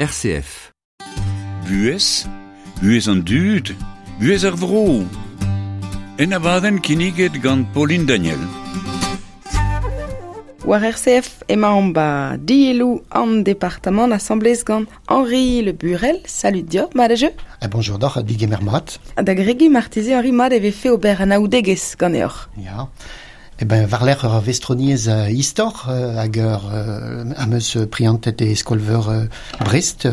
RCF. Buhez, buhez an dud, buhez ar vro. En abadenn kinniget gant Pauline Daniel. War RCF emaomp ba dielloù an departamant asambles gant Henri Le Burel. Salut diot, mat a jeu. Ah, bonjour doc'h, digemer mat. Da gregi marteze Henri mat e vefe ober anaoudegezh ganeoc'h. Ya. Eh ben, war-lerc'h ur vestroniezh istor hag ur am eus prientet e skol-veur Brest,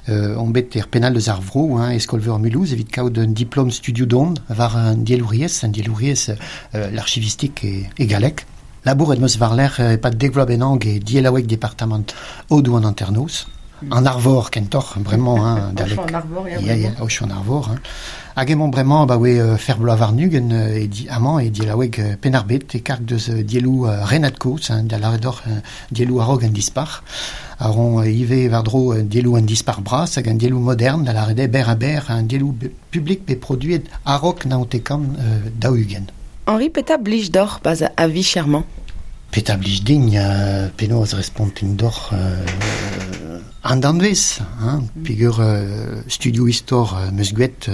on bet er pennal eus ar vro, hein, e skol-veur Mulhouse, evit kaout un diplom studio don war an dielouriezh, an dielouriezh l'archivistik e, e galleg. Labouret 'm eus war-lerc'h e-pad dek vloaz bennak e dielaoueg departamant Aodoù an Hanternoz. An Arvor kentoc'h, bremañ, hein, dalek. Aochou an Arvor, ya, Ya, ya, Aochou an Arvor. Hein. Hag emañ bremañ abaoe fer bloaz warn-ugent e di, amañ e dielaoueg Penn-ar-Bed, e karg deus dielloù Renad-Kozh, hein, da lâret deoc'h dielloù a-raok an dispac'h. A ron ivez war-dro dielloù an dispac'h bras hag an dielloù modern, da lâret eo berr-ha-berr, an dielloù publik bet produet a-raok naontek-kant 40. Henri, petra blij deoc'h 'barzh ar vicher-mañ? Petra blij din penaos respontin deoc'h an danvez, hein, peogwir studioù istor 'm eus gwraet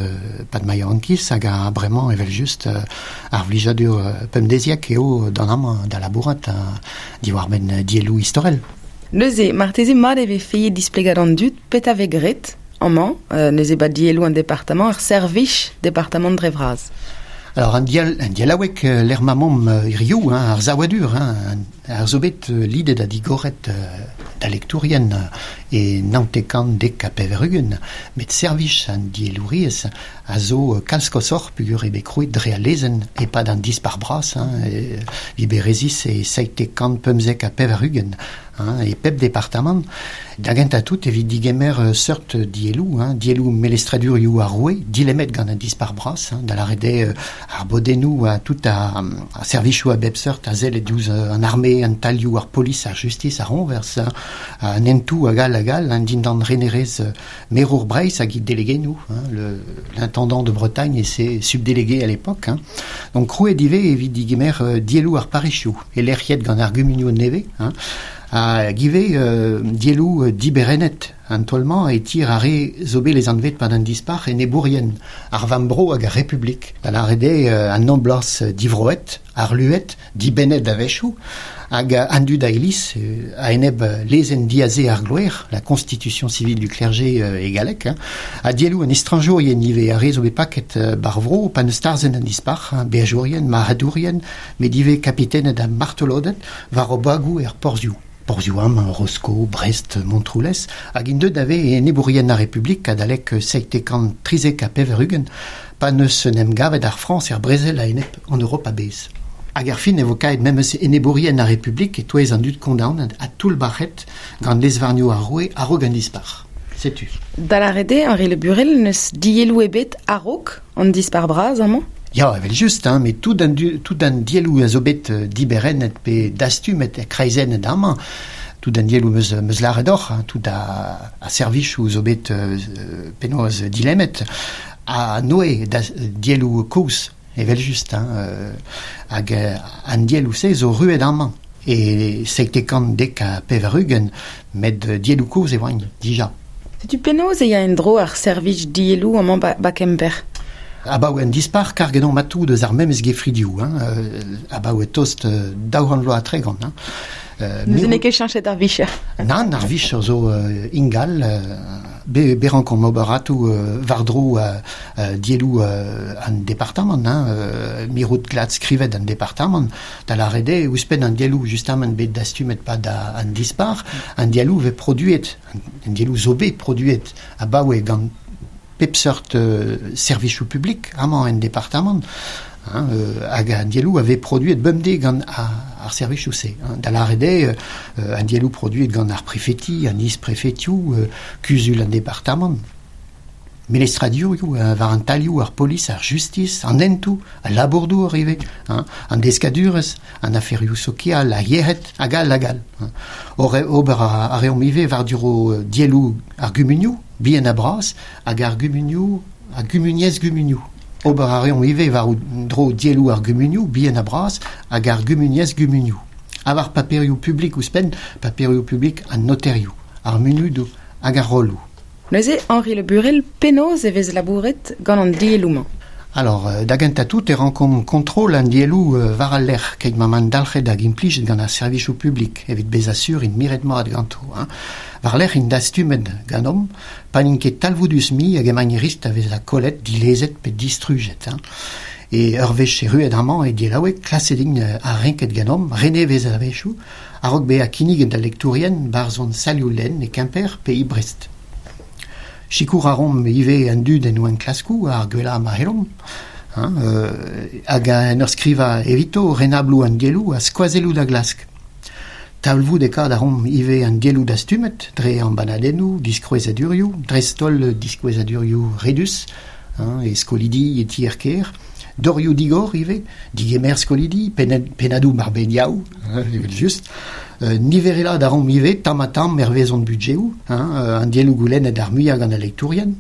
'pad ma yaouankiz hag a bremañ evel-just ar vlijadur pemdeziek eo d'an amañ da labourat diwar-benn dielloù istorel. Neuze, marteze mat e vefe displegañ d'an dud petra vez graet amañ, neuze 'ba dielloù an departamant, ar servij departamant dre vras. Alors an dial, an dialaoueg lec'h ma 'maomp hiziv, hein, ar saouadur, hein, ar zo bet lidet ha digoret da lektourien e 1990, met servij an diellouriezh a zo kalz koshoc'h peogwir eo bet krouet dre al lezenn e-pad an Dispac'h Bras, hein, Liberezis e 795. Hein, e pep departamant. Da gentañ tout evit digemer seurt dielloù, hein, dielloù melestradurioù ar roue, dilemmet gant an Dispac'h Bras, hein, da lâret eo ar bodennoù ha tout ar servijoù a bep seurt a selle diouzh an arme, an talioù, ar polis, ar justis, ar c'hoñvers, hein, an hentoù hag all hag all, hein, dindan renerezh merour Breizh hag he delegennoù, hein, l'intendant de Bretagne et ses subdélégués à l'époque. Hein. Donc krouet ivez evit digemer dielloù ar parrezioù, e-lec'hiet gant ar gumunioù nevez, hein, hag ivez dielloù diberennet an taol-mañ e tir ar re zo bet lesanvet pad an Dispac'h enebourien ar vamm-bro hag ar Republik, da lâret eo an noblañs divroet, harluet, dibennet a-wechoù, hag an dud a iliz a-enep lezenn diaze ar gloer, la constitution civile du clergé e galleg, hein, ha dielloù an estrañjourien ivez, ar re zo bet paket bar vro pa n'eus tarzhet an Dispac'h, hein, beajourien, marc'hadourien, met ivez kapitened ha martoloded war o bagoù er porzhioù. Porzhioù amañ, Rosko, Brest, Montroulez, hag int deuet da vezañ enebourien ar Republik adalek 793 pa n'eus en em gavet ar Frañs er brezel a-enep an Europ a-bezh. Hag er fin e vo kaet memes enebourien ar Republik e-touez an dud kondaonet ha toullbac'het gant lez-varnioù ar roue a-raok an Dispac'h. Setu. Da lâret eo, Henri Le Burel, n'eus dielloù ebet a-raok an Dispac'h bras amañ? Ya, evel-just, hein, met tout an, tout an dielloù a zo bet diberennet pe dastumet ha kreizennet amañ, tout an dielloù 'meus, 'meus lâret deoc'h, hein, tout a, a servijoù zo bet penaos dilemmet, ha noe da dielloù kozh, evel-just, hein, hag an dielloù-se zo ruet amañ e 97 90, met dielloù kozh e oant dija. Setu penaos e ya en-dro ar servij dielloù amañ ba, ba Kemper? Abaoe an Dispac'h, karget omp atav deus ar memes gefridioù, hein, abaoe tost 200 vloaz ha 30. Hein. Neuze n'eo ket cheñchet ar vicher? Nann, ar vicher zo ingal. Be, be rankomp ober atav war-dro dielloù an departamant, hein, mirout glad skrivet an departamant, da lâret eo ouzhpenn an dielloù justamant bet dastumet 'pad an Dispac'h, an dielloù vez produet, an dielloù zo bet produet abaoe gant pep seurt servijoù publik amañ en departamant, hein, hag an dielloù a vez produet bemdez gant ar servijoù-se. Hein. Da lâret eo, an dielloù produet gant ar prefeti, an is-prefetioù, kuzul an departamant, melestradurioù war an talioù, ar polis, ar justis, an hentoù, al labour-douar ivez, hein, an deskadurezh, an aferioù sokial, ar yec'hed, hag all hag all. Hein. Ober a reomp ivez war-dro dielloù ar gumunioù, bihan ha bras, hag ar gumunioù, ar gumuniezh gumunioù. Ober a reomp ivez war-dro dielloù ar gumunioù, bihan ha bras, hag ar gumuniezh gumunioù. Ha war paperioù publik ouzhpenn, paperioù publik an noterioù, ar munudoù, hag ar rolloù. Neuze, Henri Le Burel, penaos e vez labouret gant an dielloù-mañ? Alors, da gentañ tout e rankomp kontrol an dielloù war al lec'h keit ma 'maint dalc'het hag implijet gant ar servijoù publik evit bezañ sur int miret mat ganto. Hein. War-lerc'h int dastumet ganeomp, pa n'int ket talvoudus mui hag emaint riskl da vezañ kollet, dilezet pe distrujet. Hein. E ur wech erruet amañ e diellaoueg, klaset int ha renket ganeomp, renevez a-wechoù, a-raok bezañ kinniget d'al lektourien 'barzh hon salioù-lenn e Kemper pe e Brest. Sikour a reomp ivez an dud en o enklaskoù ar gwellañ ma c'hellomp, hein, hag en ur skrivañ evito renabloù an dielloù ha skoazelloù da glask. Talvoudekaat a reomp ivez an dielloù dastumet dre embannadennoù, diskouezadurioù, dreist-holl diskouezadurioù redus, hein, e skolidi, e tier-kêr, dorioù digor ivez, digemer skolidi, pennadoù mar-ben-yaou, evel-just. Niverelaat a reomp ivez tamm-ha-tamm hervez hon budjeoù, hein, an dielloù goulennet ar muiañ gant al lektourien.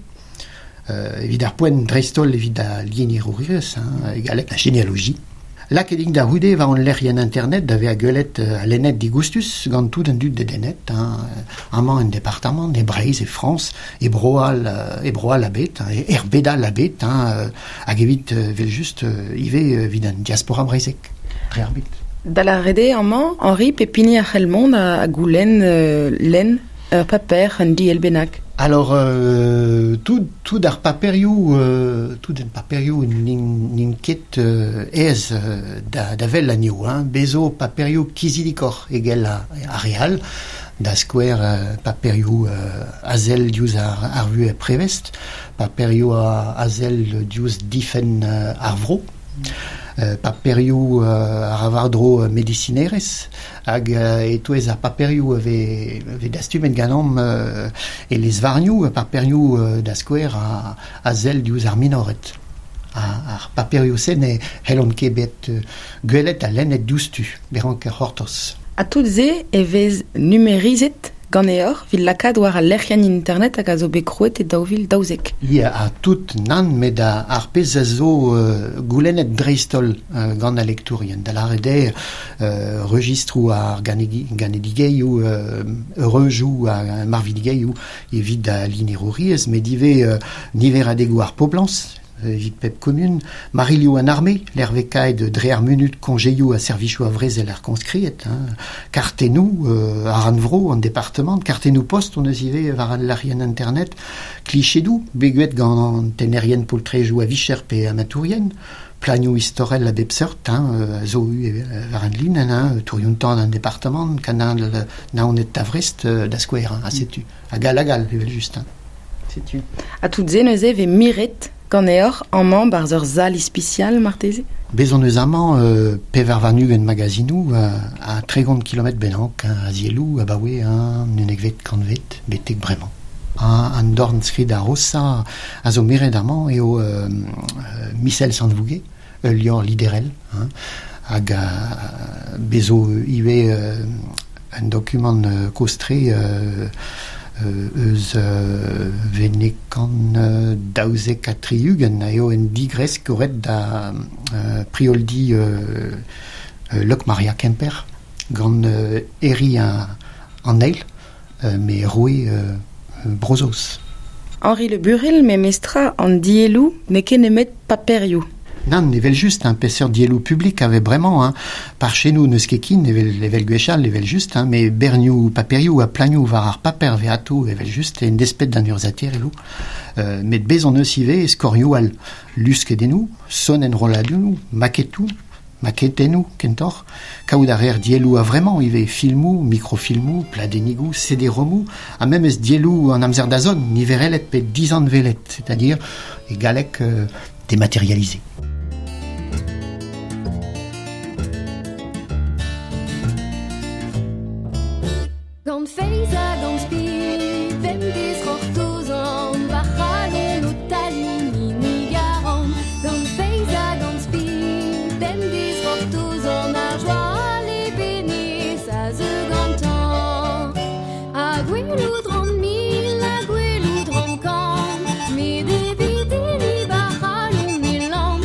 Evit ar poent dreist-holl evit al lienerouriezh, hein, e galleg la généalogie. Lakaet int da c'houde war hon lec'hienn internet da vezañ gwelet ha lennet digoustus gant tout an dud dedennet, hein, amañ en departamant, e Breizh, e Frañs, e Bro-All, e Bro-All a-bet, hein, er bed all a-bet, hein, hag evit evel-just ivez evit an diaspora breizhek, dre ar bed. Da lâret eo amañ, Henri, pep hini a c'hell mont ha goulenn lenn ur paper, un diell bennak. Alors, tout, tout ar paperioù, tout an paperioù n'int ket aes da, da wel anezho. Hein. Bez zo paperioù kizidikoc'h eget ar re all, da skouer paperioù a sell diouzh ar vuhez prevez, paperioù a sell diouzh difenn ar vro. Paperioù a ra war-dro medisinerezh hag e-touez ar paperioù a vez dastumet ganeomp e lez-varnioù, paperioù da skouer a sell diouzh ar minored. Ar paperioù-se ne c'hellont ket bet gwelet ha lennet diouzhtu, me rank c'hortoz. Ha tout se e vez numerizet ganeoc'h evit lakaat war al lec'hienn internet hag a zo bet krouet e 2012. Ya, ha tout nann, met ar pezh a zo goulennet dreist-holl gant al lektourien. Da lâret eo registroù ar ganedigezhioù, eureujoù ha marvidigezhioù evit al linerouriezh, met ivez niveradegoù ar poblañs evit pep kumun, marilhoù an arme, lec'hvekaet dre ar munud koñjeioù ha servijoù a vrezel ar koñskriet, hein, kartennoù ar rannvro, an departamant, kartennoù post hon eus ivez war al lec'hienn internet, klichedoù bet gant an tennerien poltrejoù a vicher pe amatourien, planioù istorel a bep seurt, hein, zo war an linenn, hein, tourioù-tan an departamant, kanal Naoned da Vrest, da skouer, hein, ha setu, hag all hag all, evel-just. Hein. Setu. Ha tout se neuze vez miret ganeoc'h amañ 'barzh ur sal ispisial marteze? Bez hon eus amañ 24 magazinoù ha 30 kilometr bennak, hein, a zielloù abaoe an unnekvet kantved betek bremañ. An dornskrid a-rosañ a zo miret amañ eo Misel Sant-Vouge, ul levr liderel, hein, hag bez zo ivez un dokumant kozh-tre eus venekan 72 eo un digresk goret da prioldi Lokmaria Kemper gant Herri an Eil, me roue Bro-Saoz. Henri Le Burel, memestra an dielloù n'eo ket nemet paperioù. Nann, evel-just, hein, peseurt dielloù publik a vez bremañ, hein. Par chenou n'eus ket kin, evel, evel gwechall, evel-just, hein, met bernioù paperioù ha planioù war ar paper vez atao, evel-just, en desped d'an urzhiataerioù. Met bez hon eus ivez skorioù all, luskedennoù, sonenrolladennoù, maketoù, maketennoù kentoc'h, kaout a reer dielloù a-vremañ ivez, filmoù, mikrofilmoù, pladennigoù, CD-romoù, ha memes dielloù an amzer da zont, niverelet pe dizanvelet, c'est-à-dire e galleg dématérialisé. Gant feiz ha gant spi, bemdez c'hortozan, va c'halon o taliñ hini garan. Gant feiz ha gant spi, bemdez c'hortozan, ar joa a levenez a zeu gantañ. Ha gwelout 'ran mil, ha gwelout 'ran kant, met evit hini va c'halon e lamm.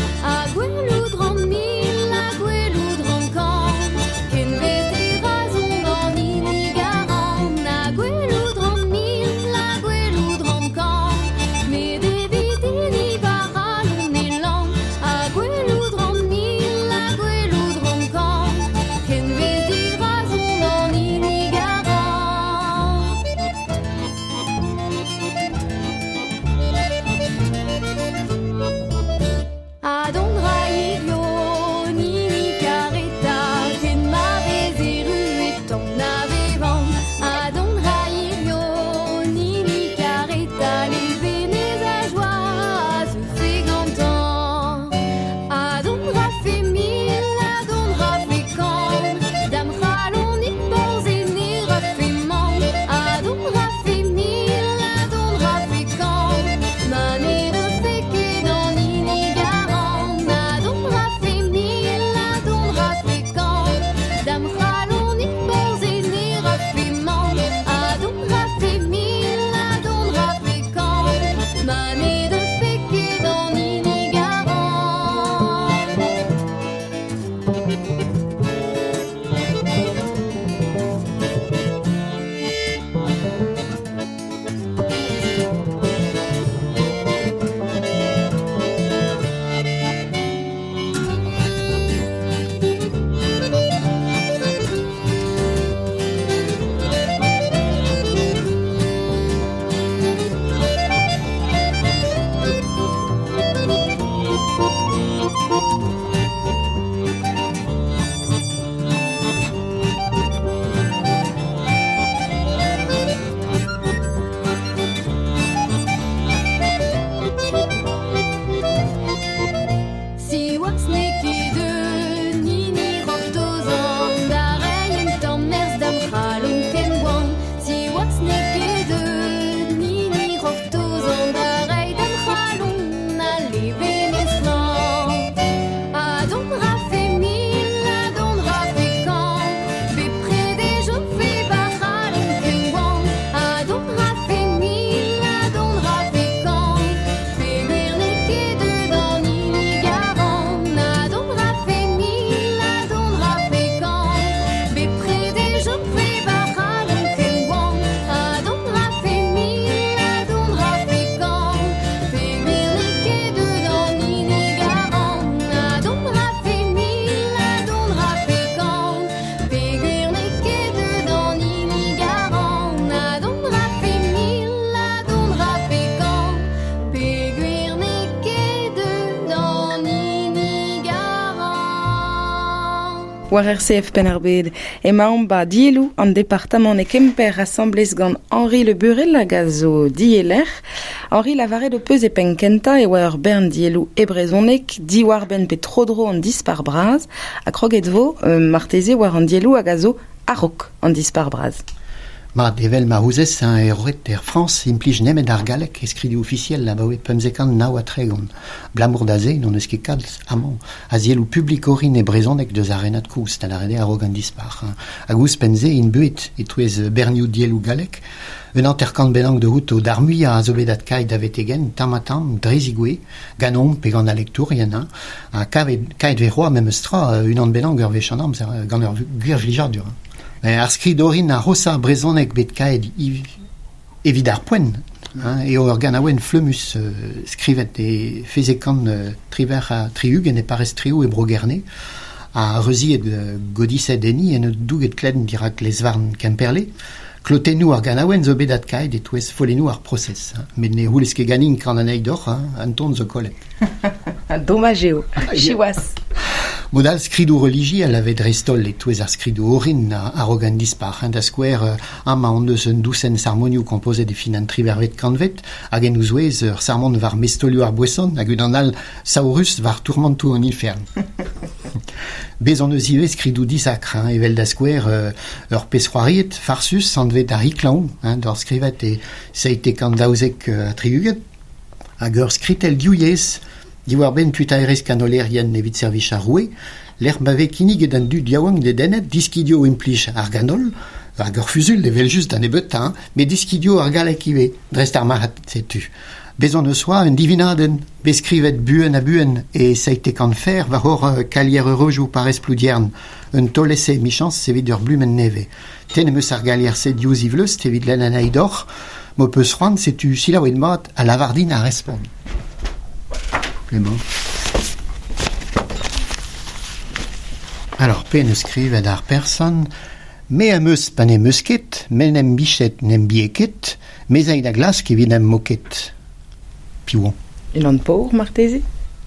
War RCF Penn-ar-Bed emaomp ba dielloù an departamant e Kemper asambles gant Henri Le Burel hag a zo dieller. Henri lavaret ho peus e penn kentañ e oa ur bern dielloù e brezhoneg diwar-benn pe tro-dro an dispac'h bras ha kroget vo marteze war an dielloù hag a zo a-raok an dispac'h bras. Mat, evel ma ouzez, hein, e roet er Frañs implij nemet ar galleg e skridoù ofisiel abaoe 1539. Abalamour da se n'hon eus ket kalz amañ a zielloù publik orin e brezhoneg deus ar renad kozh, da lâret eo a-raok an dispac'h. Hein. Hag ouzhpenn-se int beuet e-touez bernioù dielloù gallek. Un hanter-kant bennak da outo d'ar muiañ a zo bet adkaet da vetek-henn tamm-ha-tamm dre zigouez, ganeomp pe gant al lektourien. Hein. Ha kavet, kaet vez c'hoazh memes tra unan bennak ur wech an amzer gant ur gwir vlijadur. Hein. Ar skrid orin ar c'hoshañ brezhoneg bet kaet evit ar poent hein, eo ur ganaouenn flemmus skrivet e fezekant 78 e parrez Treoù e Bro-Gerne ha reuziet godised enni en ur douget klenn dirak lez-varn Kemperle. Klotennoù ar ganaouenn zo bet adkaet e-touez follennoù ar prosez. Hein. Met ne c'houlez ket ganin kan anezhi deoc'h, hein, an ton zo kollet. Domaj eo, siwazh. Mod all skridoù relijiel a vez dreist-holl e-touez ar skridoù orin a-raok an dispac'h. Da skouer, amañ hon eus un dousenn sarmonioù kompozet e fin an triwec'hvet kantved, hag en o zouez ur sarmon war mestaolioù ar boeson hag unan all saourus war tourmantoù an ifern. Bez' hon eus ivez skridoù disakr, hein, evel da skouer ur pezh c'hoariet farsus anvet ar Riklaoñ, hein, d'ur skrivet e 1772, hag ur skritell div yezh Diwar-benn tuitaerezh kanolerien evit servij ar roue, lec'h ma vez kinniget an dud yaouank dedennet diskidio implij ar ganol, hag ur fusul evel-just da nebeutañ, met diskidio ar galleg ivez, dreist ar marc'had, setu. Bez' hon eus c'hoazh un divinadenn, bet skrivet buan ha buan e 17 fer war hor kalier eureujoù parrez Ploudiern, un taol-ese emichañs evit ur blumenn nevez. Tenn em eus ar galier-se diouzh he vleust evit lenn anezhi deoc'h. M'ho peus c'hoant, setu selaouit mat ha lavar din ar respont. Emañ. Alors, pe 'neus skrivet ar person, Me am eus pa n'em eus ket, me n'em bichet n'em bie ket, me 'z ay da glask evit n'em mo ket. Piv on? Unan paour marteze?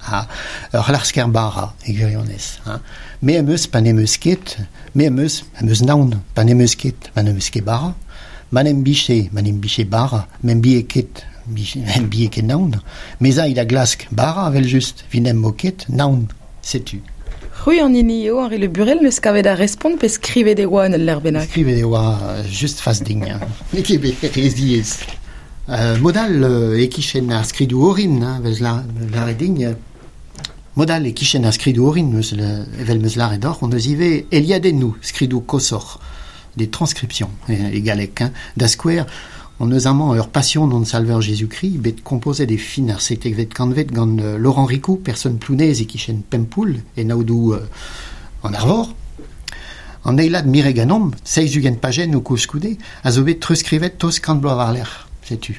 Ah, ur c'hlasker bara, e gwirionez. Hein. Me am eus pa n'em eus ket, me am eus, am eus naon pa n'em eus ket, ma n'em eus ket bara. Ma n'em biche, ma n'em biche bara, m'em bie ket, m'em bie ket naon. Me 'z ay da glask bara, evel-just, 'vit n'em bo ket naon. Setu. C'hwi an hini eo, Henri Le Burel, n'eus kavet ar respont pe skrivet e oa en ul lec'h bennak? Skrivet e oa just fas din. N'eo ket bet re ziaes. Mod all e-kichen ar skridoù orin, hein, 'vez lâret din. Mod all e-kichen ar skridoù orin, eus evel 'm eus lâret deoc'h, hon eus ivez eliadennoù, skridoù koshoc'h. Des transcriptions e galleg. Hein. Da skouer, hon eus amañ ur Passion hon Salver Jésus-Christ bet kompozet e fin ar 17vet kantved gant Laurent Ricou, person Plounez e-kichen Pempoull, en aodoù an Arvor. An eilad miret ganeomp, 70 pajennoù koulskoude, a zo bet treuzskrivet tost kant bloaz war-lerc'h. Setu.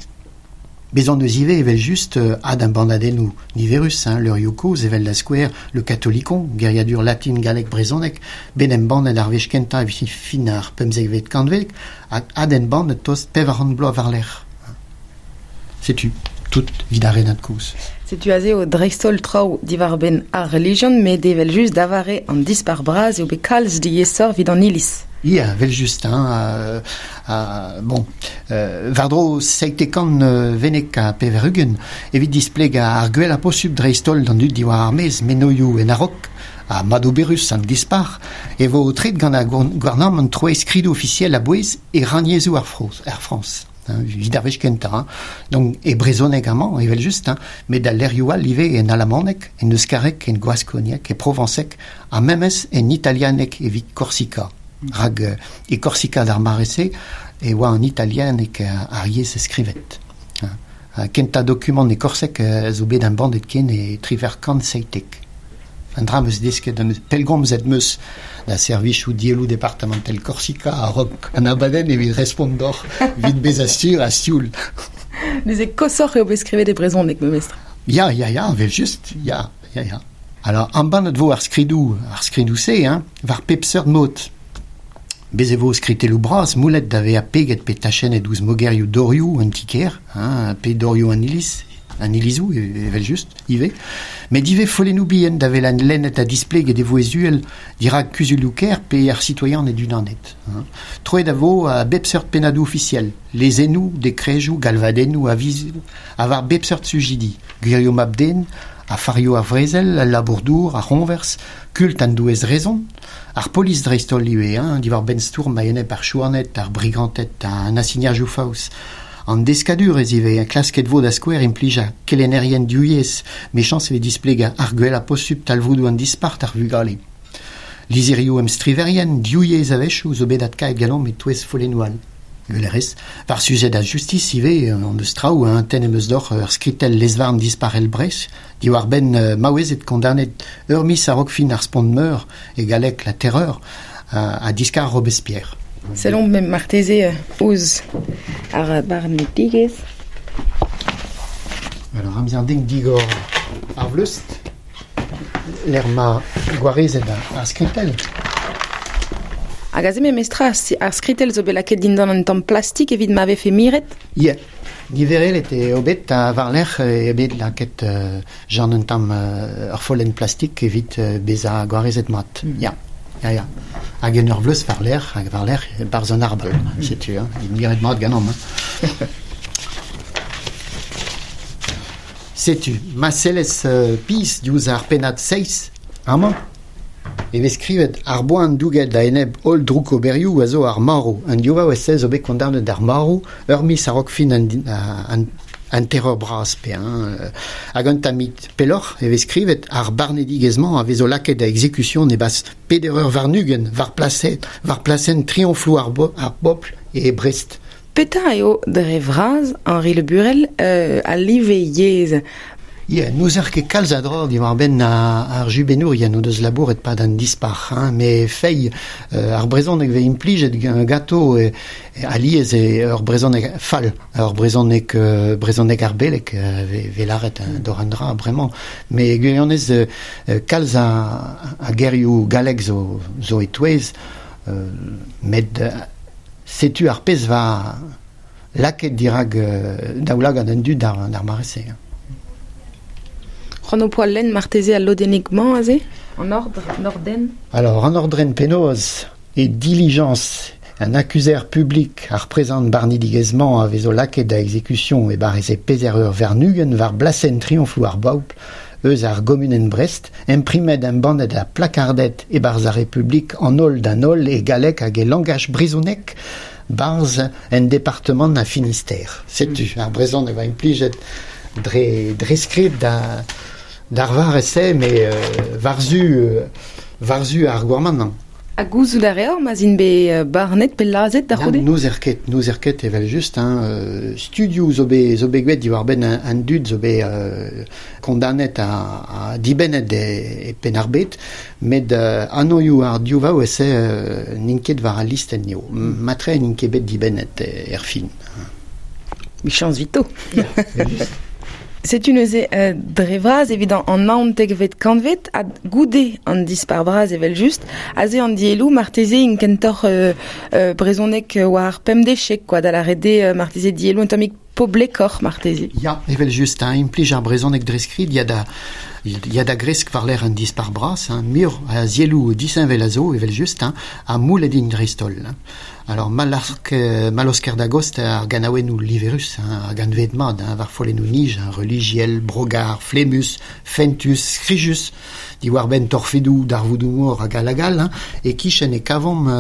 Bez' hon eus ivez evel-just adembannadennoù niverus, hein, levrioù kozh evel da skouer Le Catholicon, geriadur latin galleg brezhoneg, bet embannet ar wech kentañ evit fin ar pemzekvet kantved hag adembannet tost 400 bloaz war-lerc'h. Setu tout evit ar renad kozh. Setu aze eo dreist-holl traoù diwar-benn ar relijion, met evel-just da vare an Dispac'h Bras eo bet kalz diaesoc'h evit an Iliz. Ya, evel-just, hein, bon, war-dro 17 wenneg ha 80 evit displegañ ar gwellañ posupl dreist-holl d'an dud diwar ar maez menoioù en a-raok ha madoberus an dispac'h e vo aotreet gant ar gouarnamant troiñ skridoù ofisiel a-bouez e rannyezhoù ar Frañs. Hein, evit ar wech kentañ. Hein. Donc e brezhoneg amañ evel-just, hein, met al lec'hioù all ivez en alamaneg, en euskareg, en gwaskonieg, e provañseg ha memes en italianeg evit Korsika. Rak e Korsika d'ar mare-se e oa an italianeg ar yezh skrivet. Kentañ dokumant e korseg zo bet embannet ken e 1717. Un dra 'm eus desket, pellgomzet 'm eus da servijoù dielloù departamentel Korsika a-raok an abadenn evit respont deoc'h evit bezañ sur ha sioul. Neuze koshoc'h eo bet skrivet e brezhoneg memestra. Ya, ya, ya, evel-just, ya, ya, ya. Alors, embannet vo ar skridoù, ar skridoù-se, hein, war pep seurt mod. Bez' e vo skritelloù bras moullet da vezañ peget pe tachennet ouzh mogerioù dorioù an ti-kêr, hein, pe dorioù an iliz, an ilizou, evel just, ive. Met ivez follennoù bihan da vel an lennet ha displeget e vo ezuel dirak kuzulioù kêr pe ar citoyen e dunanet. Hein. Troet a vo a bep seurt pennadoù ofisiel, lezennoù, dekrejoù, galvadennoù, avizoù, ha war bep seurt sujidi, gwirioù mab-den, afarioù ar vrezel, al labour-dour, ar c'hoñvers, kult an douez rezon, ar polis dreist-holl ivez, hein, diwar benn stourm a-enep ar chouaned, ar briganted, an asignajoù faos. An deskadurezh ivez, klasket vo da skouer implij a kelennerien divyezh, mechañs e vez displegañ ar gwellañ posupl talvoudoù an dispart ar vugale. Lizherioù emstriverien divyezh a-wechoù zo bet adkaet ganeomp e-touez follennoù all. Gwelerez, war sujed a justis ivez, an deus traoù, hein, tenn em eus deoc'h ur skritell lez-varn disparel Brest, diwar-benn maouezed kondanet ur miz a-raok fin ar spont meur, e galleg la terreur, ha diskar Robespierre. Sellomp marteze ouzh ar barnedigezh. Alors, amzer ding digor ar vleust, lec'h ma gwarezet ar skritell. Hag aze memestra ar skritell zo bet lakaet dindan un tamm plastik evit ma vefe miret? Yeah. Niverelet eo bet ha war-lerc'h eo bet lakaet Jean un tamm ur follenn plastik evit bezañ gwarezet mat. Ya, ya, ya. Hag en ur vleust war-lerc'h, hag war-lerc'h barzh an arbal. Setu, hein, miret mat ganeomp. Hein. Setu, ma sellez pizh diouzh ar pennad seizh amañ, e vez skrivet ar boan douget a-enep holl droukoberioù a zo ar marv. An div vaouez-se zo bet kondaonet d'ar marv ur miz a-raok fin an terreur bras pe hein, hag un tammig pelloc'h e vez skrivet ar barnedigezh-mañ a vezo lakaet da exekusion e-barzh peder eur warn-ugent war plasenn trioñfloù ar bobl e Brest. Petra eo dre vras Henri Le Burel al live yezh? Yeah, n'ouzer ket kalz a dra diwar-benn ar jubennourien o deus labouret pad an dispac'h, hein, met feiz ar brezhoneg vez implijet ganto alies eo ur brezhoneg fall, ur brezhoneg brezhoneg ar beleg vez lâret d'ober an dra bremañ. Met gwirionez kalz a gerioù gallek zo e-touez, met setu ar pezh va lakaet dirak daoulagad an dud d'ar mare-se. C'hoant ho poa lenn marteze al lodennig-mañ aze? An ordre, an ordenn? Alors, an ordren penaos e dilijañs an akuzer publik ar prezant barnidigezh-mañ a vezo lakaet da exekusion e barrez e peder eur warn-ugent war blasenn trioñfloù ar bobl eus ar gomunenn Brest, imprimet embannet ha plakardet e-barzh ar Republik an holl d'an holl e galleg hag e langaj brezhonek barzh en departement a Finistère. Setu, ar brezhoneg va implijet dre skrid d'ar varez-se, met war-zu ar gouarnamant. Ha gouzout a reor ma'z int bet barnet pe lazhet da c'houde? N'ouzer ket evel-just. Hein. Studioù zo bet gwet diwar-benn an dud zo bet kondanet ha dibennet e Penn-ar-Bed, met anvioù ar div vaouez-se n'int ket war al listenn eo. Matre n'int ket bet dibennet er fin. Michañs 'vito. Setu neuze dre vras evit an naontekvet kantved ha goude an dispar bras evel-just, aze an dielloù marteze int kentoc'h brezhoneg war pemdechek quoi, da lâret eo marteze dielloù un tammig poblekoc'h marteze. Ya, evel-just, hein, implij ar brezhoneg dre skrid ya da gresk war-lerc'h an dispar bras, hein, muioc'h a zielloù disheñvel a zo evel-just, hein, ha moulet int dreist-holl. Hein. Alors, Malosker da gost ar ganaouennoù liverus, hein, ar ganved mat, hein, war follennoù nij, hein, relijiel, brogar, flemmus, fentus, skrijus, diwar-benn torfedoù, darvoudoù mor hag all hag all, hein, e kichen e kavomp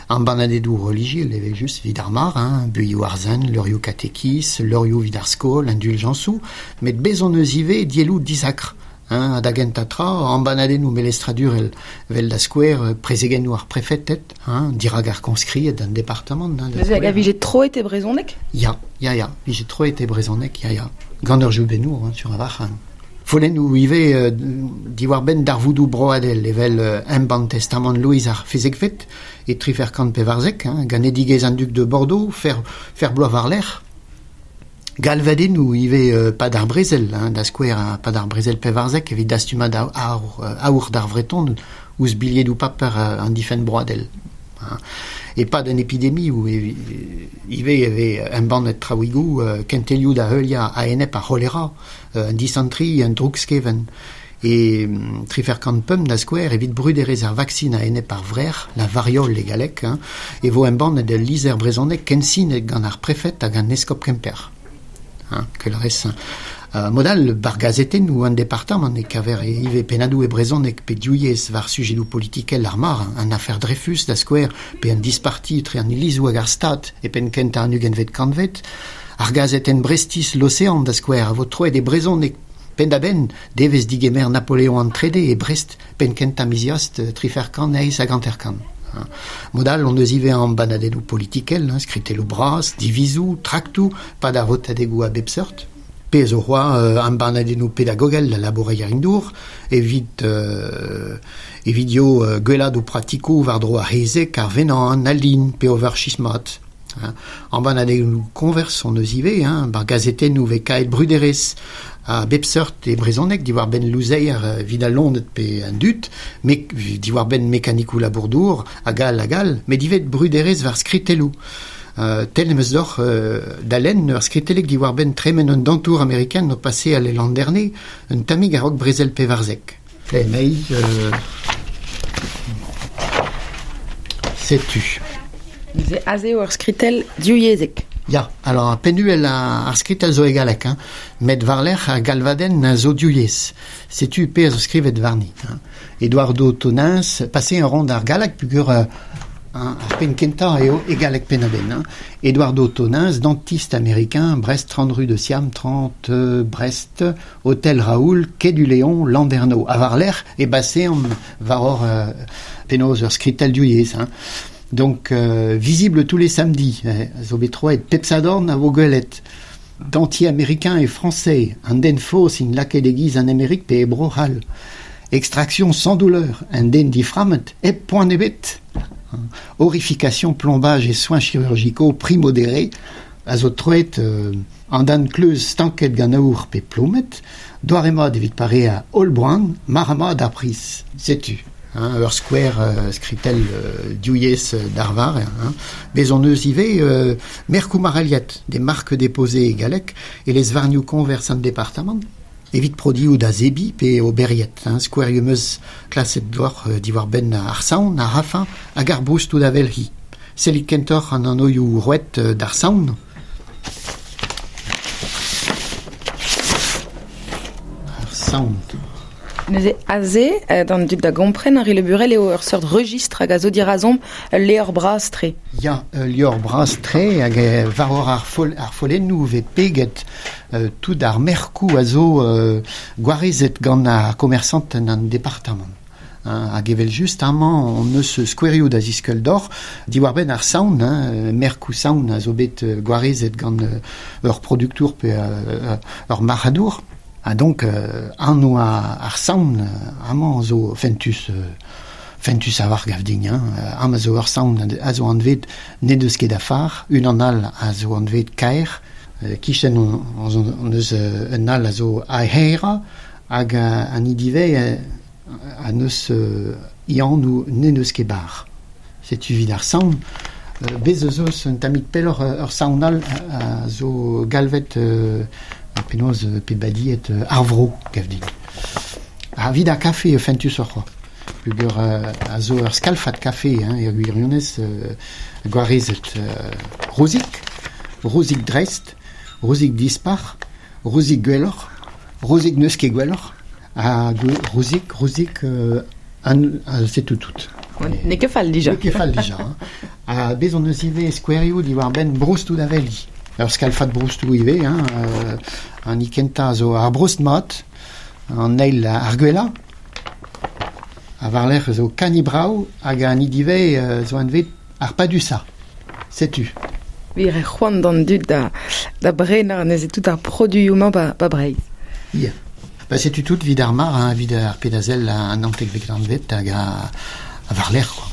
an banadedoù relijiel evel-just evit ar mar, hein, buioù ar sent, leurioù katekiz, leurioù evit ar skol, induljañsoù, met bez' hon eus ivez dielloù disakr. Hein, da gentañ tra, embanadennoù melestradurel vel da skouer prezegennoù ar prefeted, hein, dirak ar koñskried an departamant. Hein, Neuze hag a vije troet e brezhoneg? Ya, vije troet e brezhoneg, ya. Gant ur jubennour, hein, sur a-walc'h. Hein. Follennoù ivez diwar-benn darvoudoù broadel evel embann testamant Louis ar Fezekvet e 1494, hein, ganedigezh an dug de Bordeaux, fer bloaz war-lerc'h. Galvadennoù ivez pad ar brezel, hein, da skouer pad ar brezel pevarzek evit dastumad aour d'ar Vreton ouzh bilhedoù paper an difenn broadel. Hein. E pad an epidemioù ive e vez embannet traouigoù kentelioù da heuliañ a-enep ar c'holera, an disantri, an droug-skeven. E 345 da skouer evit bruderezh ar vaksin a-enep ar vrec'h, la variole e galleg, hein, e vo embannet ul lizher brezhonek kensinet gant ar prefed hag an eskob Kemper. Hein, kel rez. Mod all, bar gazetennoù an departamant e kaver ivez pennadoù e brezhoneg pe div yezh war sujedoù politikel ar mar, an afer Dreyfus da skouer, pe an disparti etre an ilizoù hag ar Stad e penn kentañ an ugentvet kantved. Ar gazetenn Brestiz L'Océan da skouer a vo troet e brezhoneg penn-da-benn devezh digemer Napoleon an Trede e Brest penn kentañ miz Eost 350. Mod all hon eus ivez embannadennoù politikel, hein, skritelloù bras, divizoù, traktoù, pad ar votadegoù a bep seurt. Pe zo c'hoazh embannadennoù pedagogel da labourer-dour evit evit yo gwelladoù pratikoù war-dro ar c'hezeg, ar venan, al lin pe over chismat. Hein. Embannadennoù koñvers hon eus ivez, hein, bar gazetennoù vez kaet bruderezh a bep seurt e brezhoneg diwar-benn louzeier evit al loened pe an dud, diwar-benn mekanikoù labour-dour, hag all hag all, met ivez bruderezh war skritelloù. Tel em eus deoc'h da lenn ur skritelleg diwar-benn tremen un dantour amerikan o paseal e Landerne un tammig a-raok brezel 14. Emei, setu. Neuze aze eo ur skritell divyezhek. Ya, alors pennuel ar skritell zo e galleg, hein, met war-lerc'h ar galvadenn a zo div yezh. Setu pezh zo skrivet warni. Hein. Eduardo Tonins, pase a ran d'ar galleg peogwir ar penn kentañ eo e galleg penn-a-benn. Hein. Eduardo Tonins, dentiste américain, Brest 30 rue de Siam, 30 Brest, Hôtel Raoul, Quai du Léon, Landerneau. Ha war-lerc'h e baseomp war hor penaos ur skritell div yezh. Hein. Donc, visible tous les samedis, zo bet troet pep sadorn a vo gwelet. Dentier américain et français, an den faos int lakaet e-giz an Amerik pe e Bro-C'hall. Extraction sans douleur, un den diframmet, hep poan ebet. Aurification, plombage et soins chirurgicaux, prix modéré, a zo troet an dan kleuz stanket gant aour pe plomet, doare mat evit pareañ holl boan, mar mat ar priz. Setu. Hein, ur skouer skritell div yezh d'arvar. Hein. Bez hon eus ivez merkoù marc'haliet, des marques déposées e galleg, e lez-varnioù koñvers an departamant, evit produioù da zebriñ pe oberiet. Hein. Skouerioù 'm eus klaset deoc'h diwar-benn ar saon, ar rafañ hag ar broustoù da welc'hiñ. Sellit kentoc'h an anvioù roet d'ar saon. Ar saon. Neuze aze, d'an dud da gompren, Henri Le Burel eo ur seurt registr hag a zo dirazomp ul levr bras-tre. Ya, ul levr bras-tre hag war hor ar, fol, ar follennoù vez peget tout ar merkoù a zo gwarezet gant ar komersant en an departamant. Hein, hag evel-just amañ hon eus skouerioù da ziskeul deoc'h diwar-benn ar saon, hein, merkoù saon a zo bet gwarezet gant ur produktour pe ur marc'hadour. Ha donc anv ar saon amañ zo fentus fentus a-walc'h gav din. Hein. Amañ zo ur saon a zo anvet n'en deus ket a far, unan all a zo anvet kaer, kichen hon eus un all a zo aera hag an hini a neus Iannoù n'en deus ket bar. Setu evit ar saon. Bez eus eus un tammig pelloc'h ur saon all a zo galvet penaos pe badiet ar vro, gav din. Ha evit ar kafe fentusoc'h c'hoazh. Peogwir a zo ur skalfad kafe, hein, er gwirionez gwarezet rozik, rozik dreist, rozik dispar, rozik gwelloc'h, rozik n'eus ket gwelloc'h, ha rozik, rozik, setu tout. N'eo ket fall dija. N'eo ket fall dija. Hein. Ha bez hon eus ivez skouerioù diwar-benn broustoù da veli. Ur skalfad broustoù ivez, hein, an hini kentañ zo ar broust mat, an eil ar gwellañ. Ha war-lerc'h zo kani brav hag an hini ivez zo anvet ar padusañ. Setu. Wir e c'hoant d'an dud da, da brenañ neuze tout ar produioù-mañ ba, ba Breizh. Ya. Ba setu tout evit ar mar, hein, evit ar pedazel an naontekvet kantved hag a, a war-lerc'h quoi.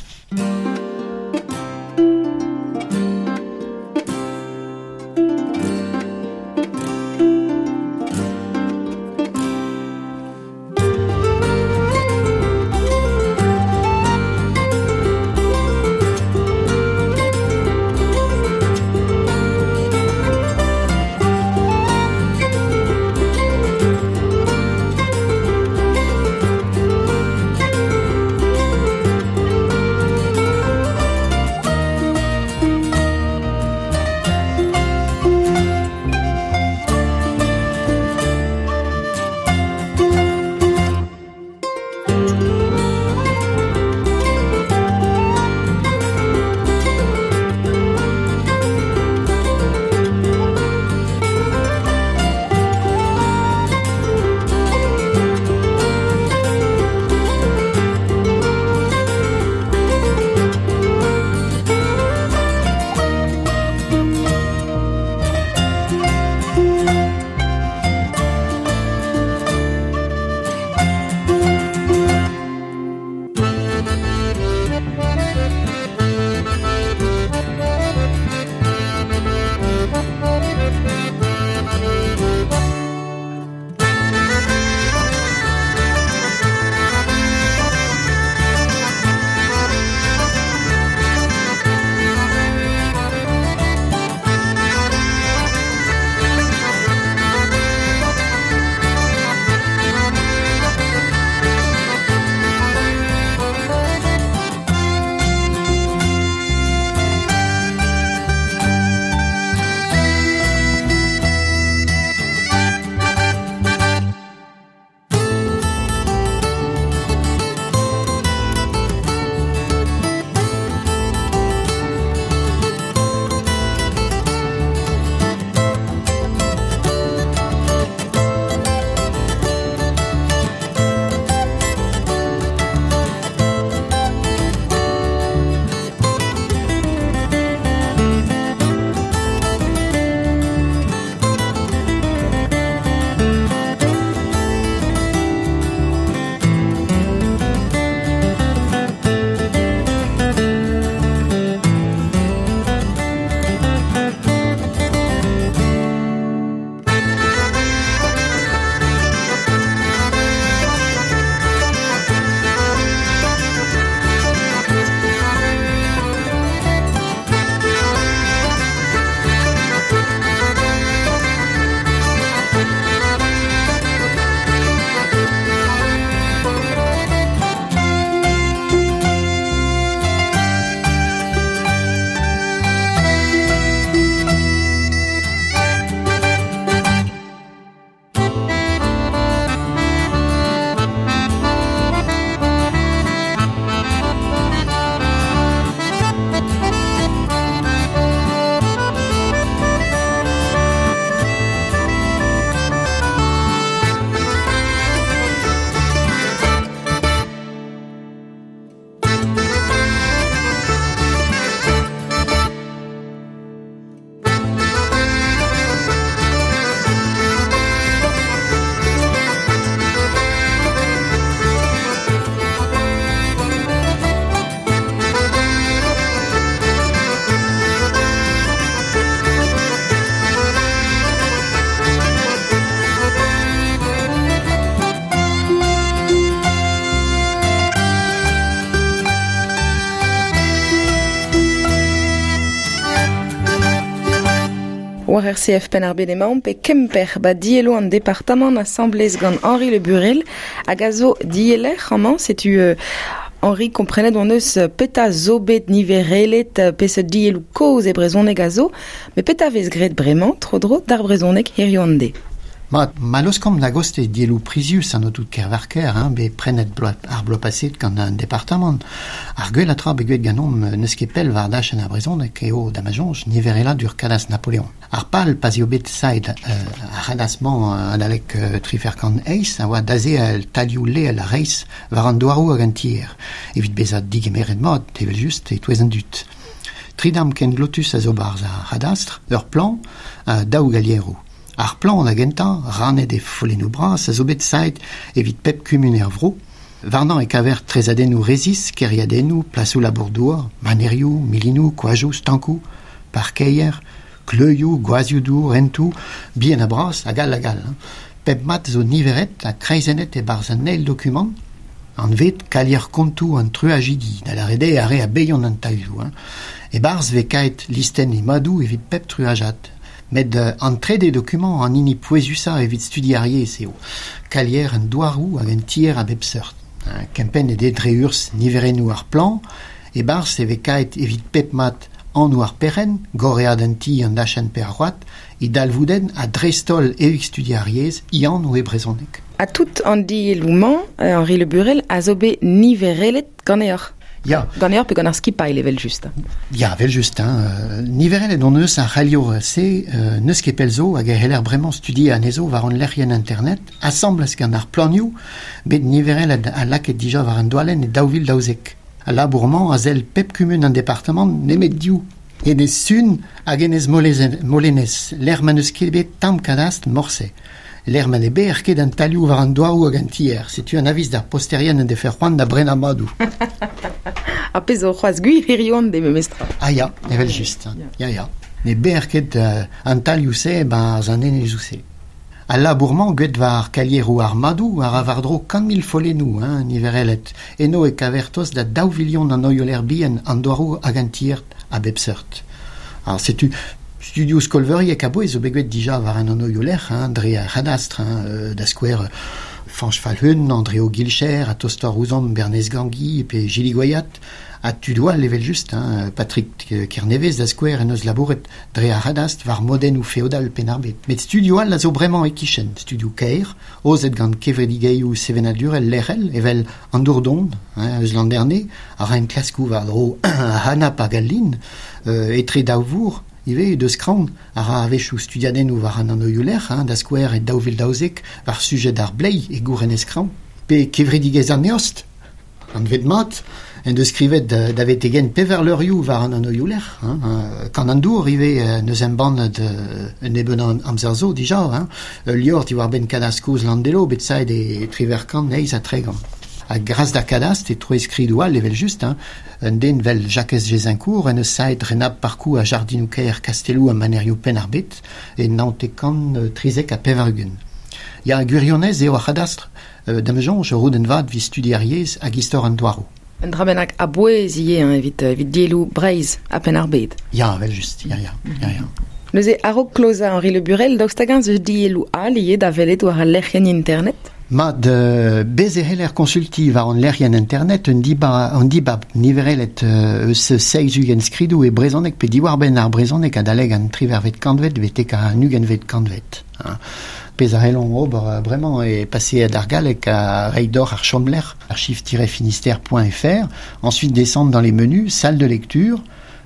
War RCF Penn-ar-Bed emaomp pe Kemper ba diello an departamant asamblez gant Henri Le Burel hag a zo dieller amañ setu Henri komprenet hon eus peta zo bet niverelet peseurt dielloù kozh e brezhoneg a zo, met peta vez graet bremañ tro-dro d'ar brezhoneg hiziv an deiz. Ma, ma laoskomp da goste dielloù prizius an aotrou Kervarker, hein, bet prenet bloaz, ar bloaz paset gant an departamant. Ar gwell a tra bet gwet ganeomp n'eus ket pell war dachenn ar brezhoneg eo da ma soñj nivereladur kadastr Napoleon. Ar pal pa'z eo bet saet ar c'hadastr-mañ adalek triferkant eizh a oa dazeal talioù leel ha reizh war an douaroù hag an tier, evit bezañ digemeret mat evel-just e-touez an dud. Tri damm kenglotus a zo 'barzh ar c'hadastr, ur plan ha daou galieroù. Ar plan da gentañ, rannet e follennoù bras, a zo bet saet evit pep kumun er vro. Warnañ e kaver tresadennoù resis, kêriadennoù, plasoù labour-douar, manerioù, milinoù, koajoù, stankoù, parkeier, kleuzioù, gwazhioù-dour, hentoù, bihan ha bras, hag all hag all. Pep mat zo niveret ha kreizennet e-barzh an eil dokumant, anvet kalier kontoù an truajidi, da lâret eo ar re a baeont an tailhoù. E-barzh 'vez kaet listenn he madoù evit pep truajad. Met an trede dokumant an hini pouezusañ evit studi ar yezh eo, kalier an douaroù hag an tier a bep seurt. Kempennet eo dre urzh niverennoù ar plan, e-barzh e vez kaet evit pep mat anv ar perc'henn, gorread an ti, an dachenn pe ar c'hoad, e dalvoudenn ha dreist-holl evit studi ar yezh, e anv e brezhoneg. Ha tout an dielloù-mañ, Henri Le Burel, a zo bet niverelet ganeoc'h? Ya. Ganeoc'h pe gant ar skipailh evel-just? Ya, evel-just. Hein. Niverelet hon eus ar c'haliour-se n'eus ket pell zo hag e c'heller bremañ studiañ anezho war hon lec'hienn internet, asambles gant ar planioù bet niverelet ha lakaet dija war an doalenn e 2012. Al labour-mañ a sell pep kumun an departamant nemet div. Enez Sun hag Enez Molenez, lec'h ma n'eus ket bet tamm kadastr morse. Lec'h ma ne baeer ket an talioù war an douaroù hag an tier. Setu an aviz d'ar posterien en defe c'hoant da brenañ madoù. Ar pezh zo c'hoazh gwir hiziv an deiz memestra. Ah ya, evel-just. Ya, ya. Ne baeer ket an talioù-se e-barzh an enezoù-se. Al labour-mañ graet war kalieroù ar madoù a ra war-dro 100 000 follennoù, hein, niverelet. Eno e kaver tost da daou vilion an oioler bihan, an douaroù hag an tier a bep seurt. Alors setu studioù skolveuriek a-bouez zo bet graet dija war an anvioù-lec'h, hein, dre ar c'hadastr, hein, da skouer Fañch Falc'hun, Andreo Guilcher, ha tostoc'h ouzhomp Bernez Gangi pe Jili Goyat, ha tudoù all evel-just, hein, Patrick Kernevez da skouer en deus labouret dre ar c'hadastr war modennoù feodal Penn-ar-Bed. Met studioù all a zo bremañ e-kichen, studioù kaer, aozet gant kevredigezhioù sevenadurel lec'hel evel an Dourdon, hein, eus Landerne, a ra enklaskoù war-dro ar c'hanab hag al lin, etre daou vourr ivez deus Kraon, a ra a-wechoù studiadennoù war an anvioù-lec'h, hein, da skouer e 2012 war sujed ar bleiz e gourenez Kraon, pe kevredigezh an eost, anvet mat, en deus skrivet da vetek-henn pevar levrioù war an anvioù-lec'h. Hein, Kan an dour ivez n'eus embannet un nebeud amzer zo dija, hein, ul levr diwar-benn kadastr kozh Landelo bet saet e triwec'h kant eizh ha tregont. Ha gras d'ar kadastr e troe skridoù all evel-just, hein, un den 'vel Jakez Jezincourt en deus saet renabl parkoù ha jardinoù-kaer kastelloù ha manerioù Penn-ar-Bed e 1993. Ya, gwirionez eo ar c'hadastr, da'm soñj, ur roudenn vat evit studi ar yezh hag istor an douaroù. Un dra bennak a-bouez ivez hein, evit, evit dielloù Breizh ha Penn-ar-Bed. Ya, evel-just, ya, ya, ya, ya. Neuze, a-raok klozañ Henri Le Burel, daoust hag-eñ 'z eus dielloù all ivez da welet war al lec'hienn internet? Mat, bez e c'heller konsultiñ war an lec'hienn internet un dibab, an dibab niverelet eus seizh-ugent skridoù e brezhoneg pe diwar-benn ar brezhoneg adalek an triwec'hvet kantved betek an ugentvet kantved. Hein. Pezh a c'hellomp ober bremañ eo paseet ar galleg ha reiñ deoc'h ar chomlec'h archive-finistère.fr, ensuite descendre dans les menus, salle de lecture,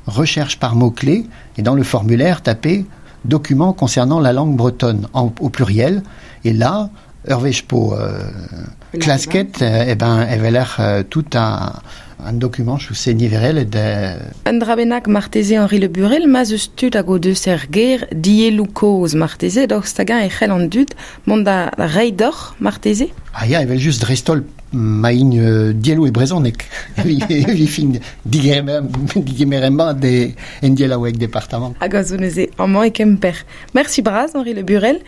recherche par mots-clés, et dans le formulaire, taper documents concernant la langue bretonne en, au pluriel, et là, ur wech po klasket, eh ben, e weler tout un document se niverelet Un dra bennak marteze Henri Le Burel, ma'z eus tud hag o deus er gêr dielloù kozh marteze, daoust hag-eñ e c'hell an dud mont da reiñ deoc'h marteze? Ah ya, evel-just dreist-holl ma int dielloù e brezhoneg. Evit fin digemeret mat e en dielaoueg departamant. Hag a zo neuze amañ e Kemper. Merci bras Henri Le Burel.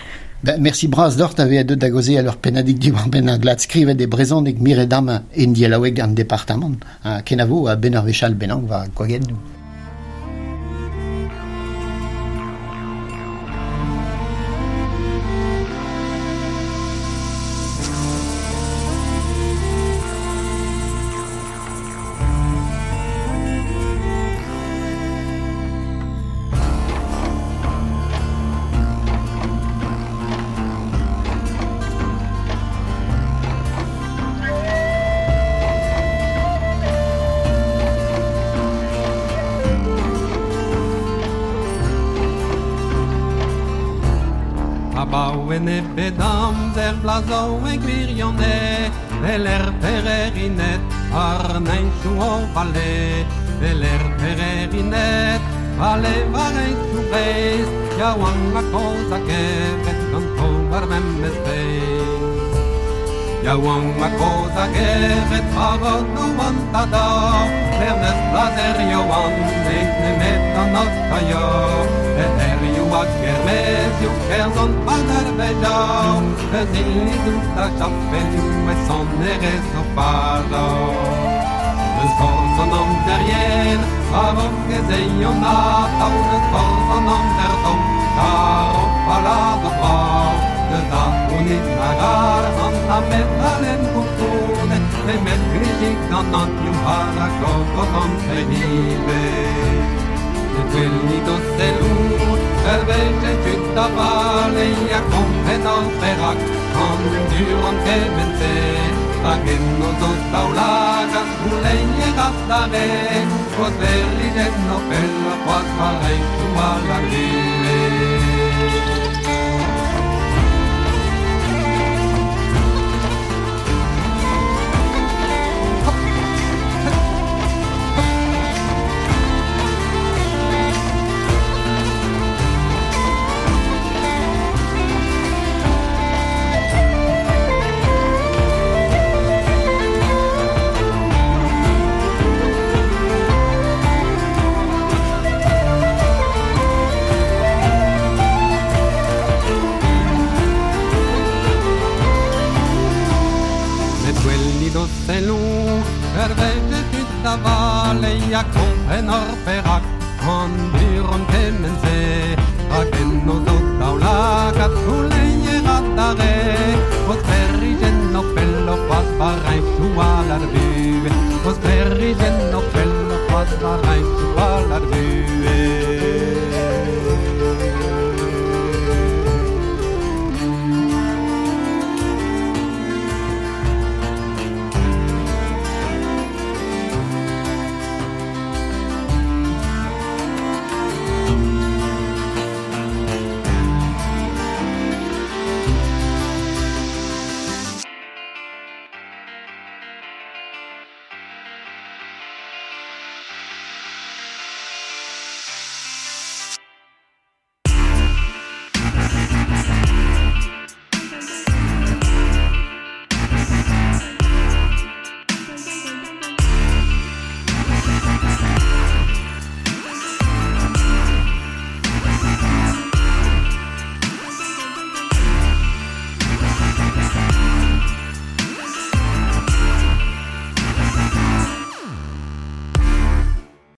Ben, merci bras deoc'h da vezañ deuet da gaozeal ur pennadig diwar-benn ar glad skrivet e brezhoneg miret amañ en dielaoueg an departamant. Ha kenavo a-benn ur wech all bennak war gwagennoù. Abaouen e bet amzer blazo e gwirionne, Vel er pererinet ar neinchou o vale, Vel er pererinet, vale war einchou breiz, Yaouank a koz a gevet ganto war memez beiz. Yaouank a koz a gevet war o an tada, Bernez blazer yoan, ez nemet an otaio, E herioù a kermezioù kerzan padar veja, Eus ilizou da chapelioù e son erez o faja. Eus forz an amzer yen, a-raok ez eion atav, Eus forz an amzer tomm, kar o palad o brav, Eus a honit nag ar an amet alen koulskoude, Nemet glizig gant an ioù har a gogos an perive. E gwelnit o sellou, ur wech e tud da vale, a kompren ar perak, an dur an kement-se. Hag en o zo daoulagad gouleier a dare, O sklêrijenn o pell c'hoazh war hentioù al Landille. Met gwelnit o sellou, ur wech e tud da vale, a kompren ar perak, an dur an